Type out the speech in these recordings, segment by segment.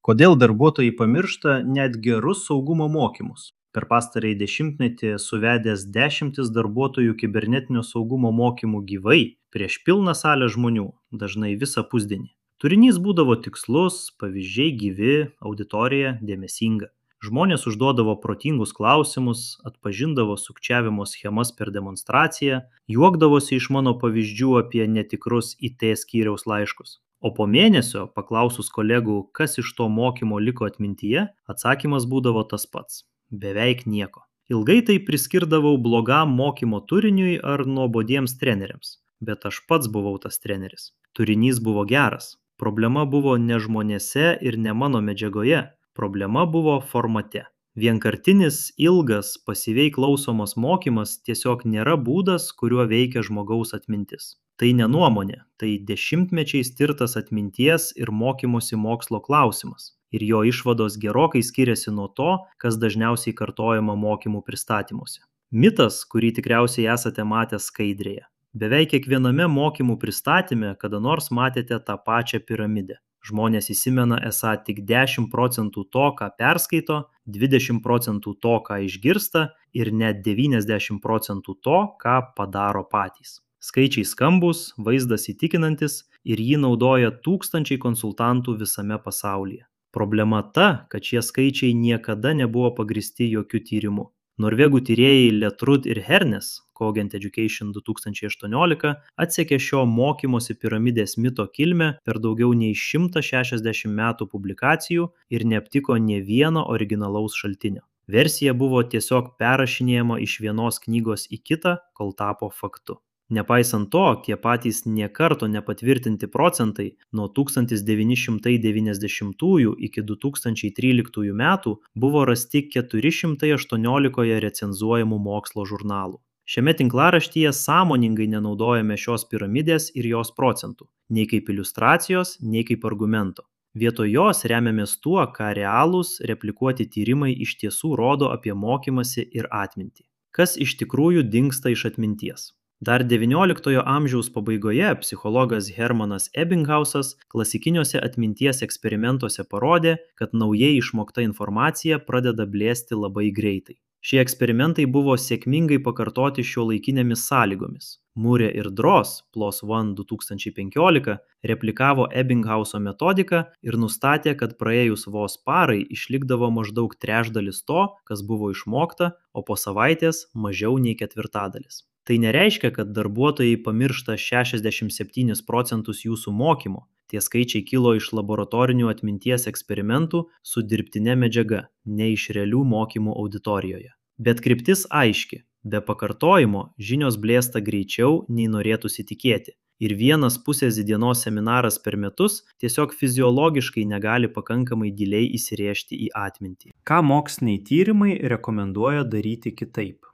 Kodėl darbuotojai pamiršta net gerus saugumo mokymus? Per pastarąjį dešimtmetį suvedęs dešimtis darbuotojų kibernetinio saugumo mokymų gyvai prieš pilną salę žmonių, dažnai visą pusdienį. Turinys būdavo tikslus, pavyzdžiai gyvi, auditorija dėmesinga. Žmonės užduodavo protingus klausimus, atpažindavo sukčiavimo schemas per demonstraciją, juokdavosi iš mano pavyzdžių apie netikrus IT skyriaus laiškus. O po mėnesio, paklausus kolegų, kas iš to mokymo liko atmintyje, atsakymas būdavo tas pats - beveik nieko. Ilgai tai priskirdavau blogam mokymo turiniui ar nuobodiems treneriams, bet aš pats buvau tas treneris. Turinys buvo geras. Problema buvo ne žmonėse ir ne mano medžiagoje, problema buvo formate. Vienkartinis, ilgas, pasyviai klausomas mokymas tiesiog nėra būdas, kuriuo veikia žmogaus atmintis. Tai ne nuomonė, tai dešimtmečiais tirtas atminties ir mokymosi mokslo klausimas. Ir jo išvados gerokai skiriasi nuo to, kas dažniausiai kartojama mokymų pristatymuose. Mitas, kurį tikriausiai esate matę skaidrėje. Beveik kiekviename mokymų pristatyme kada nors matėte tą pačią piramidę. Žmonės įsimena esą tik 10% to, ką perskaito, 20% to, ką išgirsta ir net 90% to, ką padaro patys. Skaičiai skambus, vaizdas įtikinantis ir jį naudoja tūkstančiai konsultantų visame pasaulyje. Problema ta, kad šie skaičiai niekada nebuvo pagristi jokių tyrimų. Norvegų tyrėjai Letrud ir Hernes, Cogent Education 2018, atsekė šio mokymosi piramidės mito kilmę per daugiau nei 160 metų publikacijų ir neaptiko nė vieno originalaus šaltinio. Versija buvo tiesiog perrašinėjama iš vienos knygos į kitą, kol tapo faktu. Nepaisant to, tie patys nė karto nepatvirtinti procentai nuo 1990 iki 2013 metų buvo rasti 418 recenzuojamų mokslo žurnalų. Šiame tinklaraštyje sąmoningai nenaudojame šios piramidės ir jos procentų, nei kaip iliustracijos, nei kaip argumento. Vietoj jos remiamės tuo, ką realūs replikuoti tyrimai iš tiesų rodo apie mokymąsi ir atmintį. Kas iš tikrųjų dingsta iš atminties? Dar XIX amžiaus pabaigoje psichologas Hermanas Ebbinghausas klasikiniuose atminties eksperimentuose parodė, kad naujai išmokta informacija pradeda blėsti labai greitai. Šie eksperimentai buvo sėkmingai pakartoti šiuolaikinėmis sąlygomis. Murė ir Dross, PLOS ONE 2015, replikavo Ebbinghauso metodiką ir nustatė, kad praėjus vos parai išlikdavo maždaug trečdalis to, kas buvo išmokta, o po savaitės mažiau nei ketvirtadalis. Tai nereiškia, kad darbuotojai pamiršta 67% jūsų mokymo. Tie skaičiai kilo iš laboratorinių atminties eksperimentų su dirbtine medžiaga, ne iš realių mokymų auditorijoje. Bet kryptis aiški. Be pakartojimo žinios blėsta greičiau, nei norėtųsi tikėti. Ir vienas pusės dienos seminaras per metus tiesiog fiziologiškai negali pakankamai giliai įsirėžti į atmintį. Ką moksliniai tyrimai rekomenduoja daryti kitaip?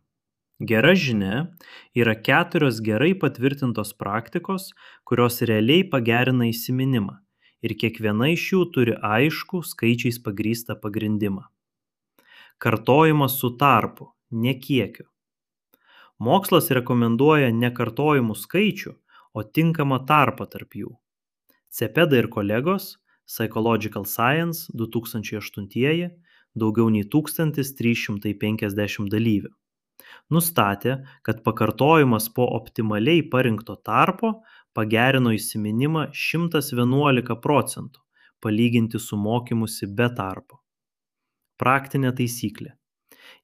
Gera žinia yra 4 gerai patvirtintos praktikos, kurios realiai pagerina įsiminimą ir kiekviena iš jų turi aiškų skaičiais pagrįstą pagrindimą. Kartojimas su tarpu, ne kiekiu. Mokslas rekomenduoja ne kartojimų skaičių, o tinkamą tarpą tarp jų. Cepeda ir kolegos, Psychological Science 2008, daugiau nei 1350 dalyvių. Nustatė, kad pakartojimas po optimaliai parinkto tarpo pagerino įsiminimą 111%, palyginti su mokymusi be tarpo. Praktinė taisyklė.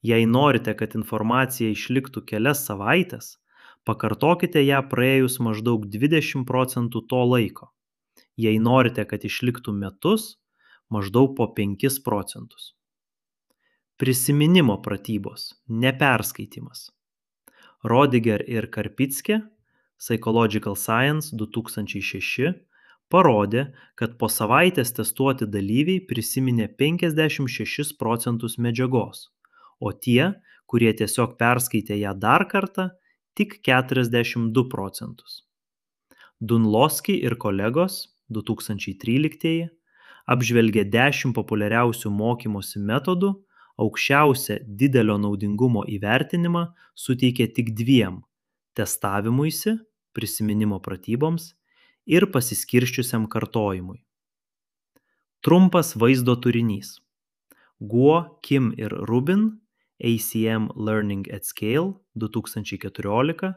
Jei norite, kad informacija išliktų kelias savaites, pakartokite ją praėjus maždaug 20% to laiko. Jei norite, kad išliktų metus, maždaug po 5%. Prisiminimo pratybos, neperskaitimas. Rodiger ir Karpicke, Psychological Science 2006, parodė, kad po savaitės testuoti dalyviai prisiminė 56% medžiagos, o tie, kurie tiesiog perskaitė ją dar kartą, tik 42%. Dunlosky ir kolegos 2013 apžvelgė 10 populiariausių mokymosi metodų, aukščiausią didelio naudingumo įvertinimą suteikė tik 2 – testavimuisi, prisiminimo pratyboms ir pasiskirsčiusiam kartojimui. Trumpas vaizdo turinys. Guo, Kim ir Rubin ACM Learning at Scale 2014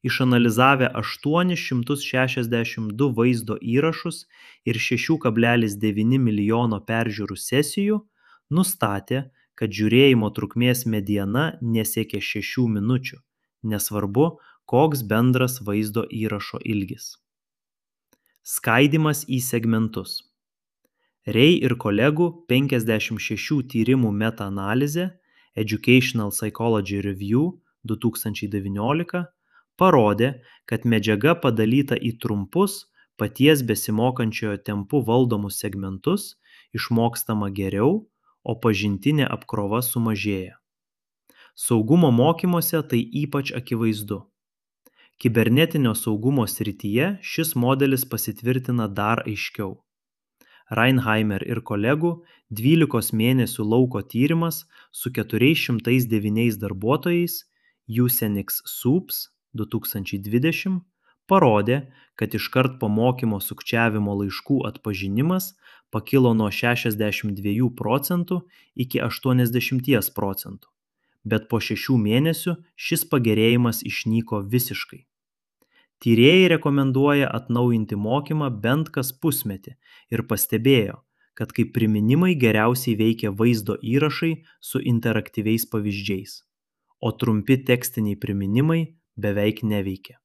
išanalizavę 862 vaizdo įrašus ir 6,9 milijono peržiūrų sesijų nustatė, kad žiūrėjimo trukmės mediana nesiekia 6 minučių, nesvarbu, koks bendras vaizdo įrašo ilgis. Skaidymas į segmentus. Rei ir kolegų 56 tyrimų meta-analizė Educational Psychology Review 2019 parodė, kad medžiaga padalyta į trumpus, paties besimokančiojo tempu valdomus segmentus išmokstama geriau, o pažintinė apkrova sumažėja. Saugumo mokymuose tai ypač akivaizdu. Kibernetinio saugumo srityje šis modelis pasitvirtina dar aiškiau. Reinheimer ir kolegų 12 mėnesių lauko tyrimas su 409 darbuotojais Usenix Soups 2020 parodė, kad iškart po mokymo sukčiavimo laiškų atpažinimas pakilo nuo 62% iki 80%, bet po 6 mėnesių šis pagerėjimas išnyko visiškai. Tyrėjai rekomenduoja atnaujinti mokymą bent kas pusmetį ir pastebėjo, kad kaip priminimai geriausiai veikia vaizdo įrašai su interaktyviais pavyzdžiais, o trumpi tekstiniai priminimai beveik neveikia.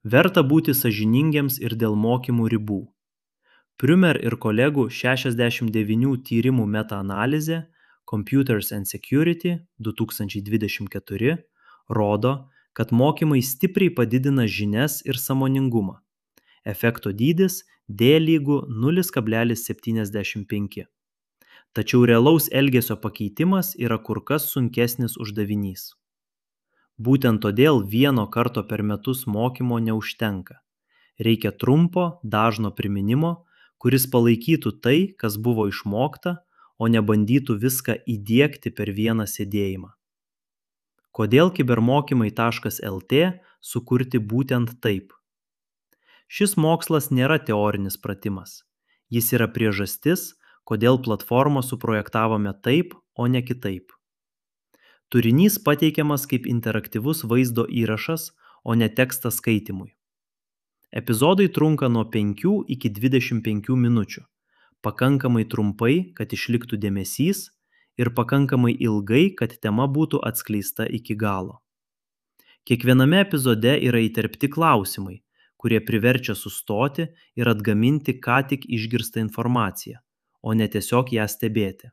Verta būti sąžiningiems ir dėl mokymų ribų. Prümer ir kolegų 69 tyrimų meta-analizė Computers and Security 2024 rodo, kad mokymai stipriai padidina žinias ir sąmoningumą. Efekto dydis D lygu 0,75. Tačiau realaus elgesio pakeitimas yra kur kas sunkesnis uždavinys. Būtent todėl vieno karto per metus mokymo neužtenka. Reikia trumpo, dažno priminimo, kuris palaikytų tai, kas buvo išmokta, o nebandytų viską įdiegti per vieną sėdėjimą. Kodėl kibermokymai.lt sukurti būtent taip? Šis mokslas nėra teorinis pratimas. Jis yra priežastis, kodėl platformą suprojektavome taip, o ne kitaip. Turinys pateikiamas kaip interaktyvus vaizdo įrašas, o ne tekstas skaitymui. Epizodai trunka nuo 5 iki 25 minučių, pakankamai trumpai, kad išliktų dėmesys, ir pakankamai ilgai, kad tema būtų atskleista iki galo. Kiekviename epizode yra įterpti klausimai, kurie priverčia sustoti ir atgaminti ką tik išgirstą informaciją, o ne tiesiog ją stebėti.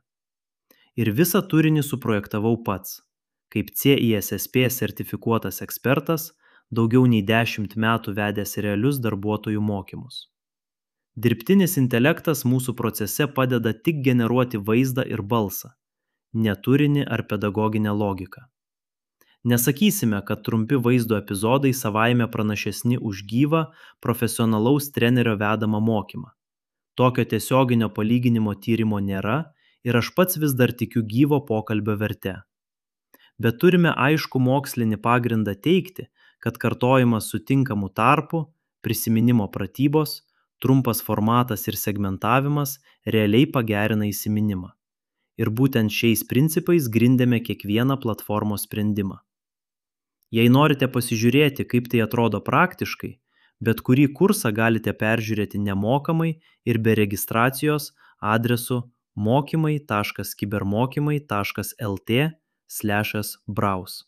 Ir visą turinį suprojektavau pats, kaip CISSP sertifikuotas ekspertas, daugiau nei 10 metų vedęs realius darbuotojų mokymus. Dirbtinis intelektas mūsų procese padeda tik generuoti vaizdą ir balsą, ne turinį ar pedagoginę logiką. Nesakysime, kad trumpi vaizdo epizodai savaime pranašesni už gyvą, profesionalaus trenerio vedamą mokymą. Tokio tiesioginio palyginimo tyrimo nėra ir aš pats vis dar tikiu gyvo pokalbio verte. Bet turime aišku mokslinį pagrindą teigti, kad kartojimas su tinkamu tarpu, prisiminimo pratybos, trumpas formatas ir segmentavimas realiai pagerina įsiminimą. Ir būtent šiais principais grindėme kiekvieną platformos sprendimą. Jei norite pasižiūrėti, kaip tai atrodo praktiškai, bet kurį kursą galite peržiūrėti nemokamai ir be registracijos adresu mokymai.kibermokymai.lt/browse.